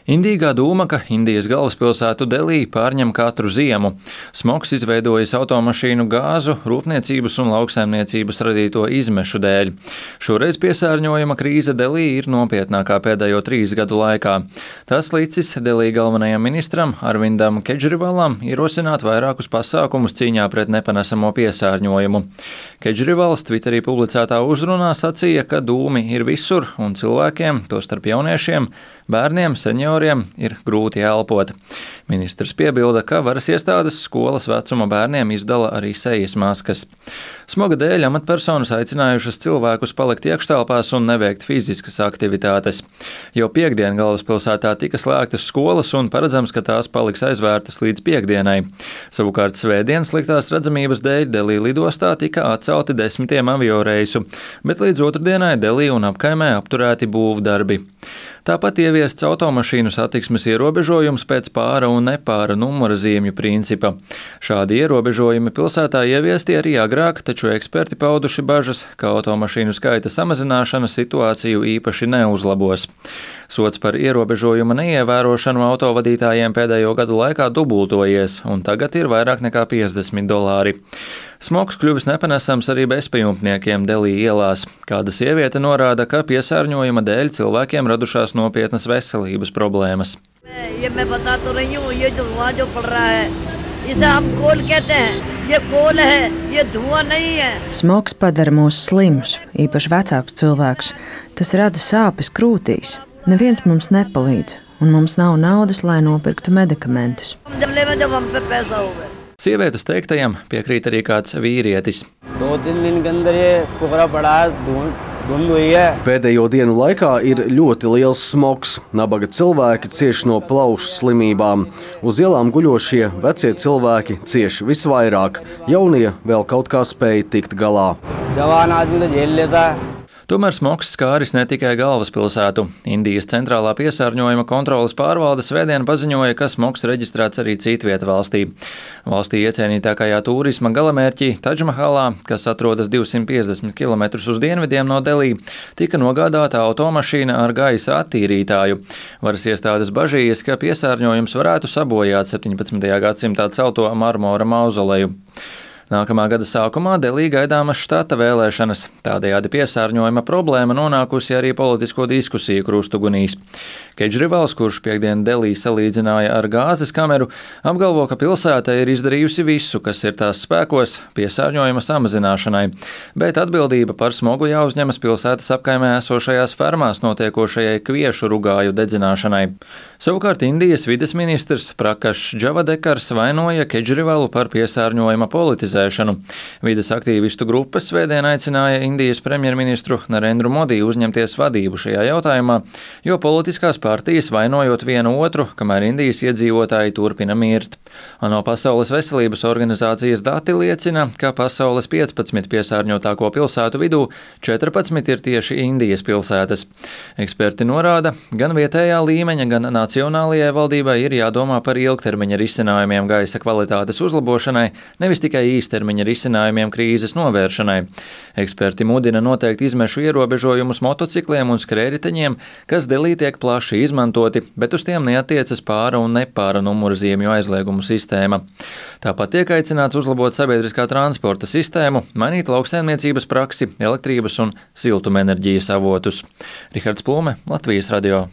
Indīgā doma, ka Indijas galvaspilsētu Delī pārņem katru ziemu. Smogs izveidojis automašīnu gāzu, rūpniecības un lauksaimniecības radīto izmešu dēļ. Šoreiz piesārņojuma krīze Delī ir nopietnākā pēdējo 3 gadu laikā. Tas licis Delī galvenajam ministram Arvindam Kedžrivalam ierosināt vairākus pasākumus cīņā pret nepanesamo piesārņojumu. Kedžrivals Twitterī publicētā uzrunā sacīja, ka dūmi ir visur un cilvēkiem, tostarp jauniešiem, bērniem, senioriem, ir grūti elpot. Ministrs piebilda, ka varas iestādes skolas vecuma bērniem izdala arī sejas maskas. Smoga dēļ amatpersonas aicinājušas cilvēkus palikt iekštelpās un neveikt fiziskas aktivitātes. Jau piektdien galvaspilsētā tika slēgtas skolas un paredzams, ka tās paliks aizvērtas līdz piektdienai. Savukārt svētdien sliktās redzamības dēļ Delī lidostā tika atcelti 10 avioreisu, bet līdz otrdienai Delī un apkaimē apturēti būvdarbi. Tāpat ieviests automašīnu satiksmes ierobežojums pēc pāra un nepāra numura zīmju principa. Šādi ierobežojumi pilsētā ieviesti arī agrāk, taču eksperti pauduši bažas, ka automašīnu skaita samazināšana situāciju īpaši neuzlabos. Sots par ierobežojuma neievērošanu autovadītājiem pēdējo gadu laikā dubultojies, un tagad ir vairāk nekā $50. Smogs kļuvis nepanesams arī bezpajumtniekiem Delī ielās. Kāda sieviete norāda, ka piesārņojuma dēļ cilvēkiem radušās nopietnas veselības problēmas. Smogs padara mūs slimus, īpaši vecākus cilvēkus. Tas rada sāpes krūtīs. Neviens mums nepalīdz, un mums nav naudas, lai nopirktu medikamentus. Sievietes teiktajam piekrīt arī kāds vīrietis. Pēdējo dienu laikā ir ļoti liels smogs. Nabaga cilvēki cieš no plaušu slimībām. Uz ielām guļošie vecie cilvēki cieš visvairāk. Jaunie vēl kaut kā spēj tikt galā. Tomēr smogs skāris ne tikai galvaspilsētu. Indijas centrālā piesārņojuma kontroles pārvalde svētdien paziņoja, ka smogs reģistrēts arī citvieta valstī. Valstī iecienītākajā turisma galamērķī Tadžmahalā, kas atrodas 250 km uz dienvidiem no Delī, tika nogādāta automašīna ar gaisa attīrītāju. Varas iestādes bažījas, ka piesārņojums varētu sabojāt 17. gadsimtā celto marmora mauzoleju. Nākamā gada sākumā Delī gaidāmas štata vēlēšanas. Tādējādi piesārņojuma problēma nonākusi arī politisko diskusiju krustugunīs. Kedžrivals, kurš piektdien Delī salīdzināja ar gāzes kameru, apgalvo, ka pilsēta ir izdarījusi visu, kas ir tās spēkos piesārņojuma samazināšanai, bet atbildība par smogu jāuzņemas pilsētas apkaimē esošajās fermās notiekošajai kviešu rugāju dedzināšanai. Savukārt Indijas vides ministrs Prakašs Džavadekars vainoja Kedžrivalu par piesārņojuma politizāciju. Vides aktīvistu grupas svētdien aicināja Indijas premjerministru Narendru Modi uzņemties vadību šajā jautājumā, jo politiskās partijas vainojot vienu otru, kamēr Indijas iedzīvotāji turpina mirt. ANO Pasaules veselības organizācijas dati liecina, ka pasaules 15 piesārņotāko pilsētu vidū 14 ir tieši Indijas pilsētas. Eksperti norāda, gan vietējā līmeņa, gan nacionālajai valdībai ir jādomā par ilgtermiņa risinājumiem gaisa kvalitātes uzlabošanai, nevis tikai īstermiņa risinājumiem krīzes novēršanai. Eksperti mudina noteikt izmešu ierobežojumus motocikliem un skrējriteņiem, kas Delī tiek plaši izmantoti, bet uz tiem neatiecas pāra un nepāra numura zīmju aizliegumu sistēma. Tāpat tiek aicināts uzlabot sabiedriskā transporta sistēmu, mainīt lauksaimniecības praksi, elektrības un siltumenerģijas avotus. Rihards Plume, Latvijas radio.